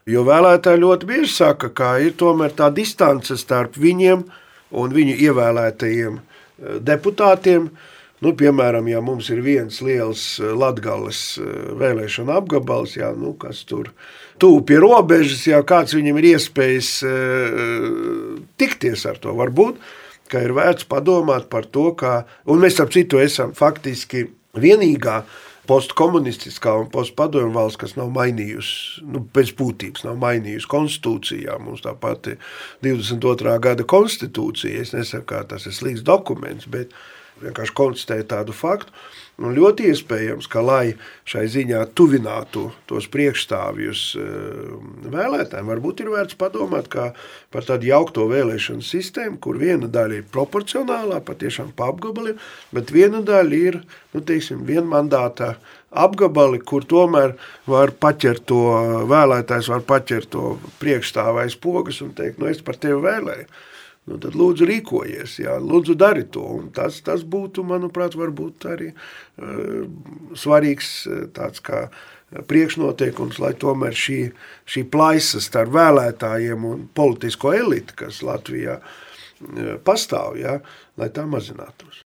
Jo vēlētāji ļoti bieži saka, ka ir tomēr tā distance starp viņiem un viņu ievēlētajiem deputātiem. Piemēram, ja mums ir viens liels Latgales vēlēšana apgabals, kas tur tuvu pie robežas, kāds viņam ir iespējas tikties ar to, varbūt, ka ir vērts padomāt par to, un mēs ap citu esam faktiski vienīgā postkomunistiskā un postpadomju valsts, kas nav mainījusi, pēc būtības nav mainījusi konstitūcijā. Mums tā pati 22. gada konstitūcija, es nesaku, kā tas ir slikts dokuments, bet vienkārši konstatēja tādu faktu. Un ļoti iespējams, ka lai šai ziņā tuvinātu tos priekšstāvjus vēlētājiem, varbūt ir vērts padomāt par tādu jaukto vēlēšanu sistēmu, kur viena daļa ir proporcionālā, patiešām pa apgabaliem, bet viena daļa ir, vienmandātā apgabali, kur tomēr var paķert to vēlētājs, var paķert to priekšstāvais pogas un teikt, es par tevi vēlēju. Tad lūdzu rīkojies, lūdzu dari to. Un tas būtu, manuprāt, varbūt arī svarīgs tāds kā priekšnoteikums, lai tomēr šī plaisa starp vēlētājiem un politisko elitu, kas Latvijā pastāv, lai tā mazinātos.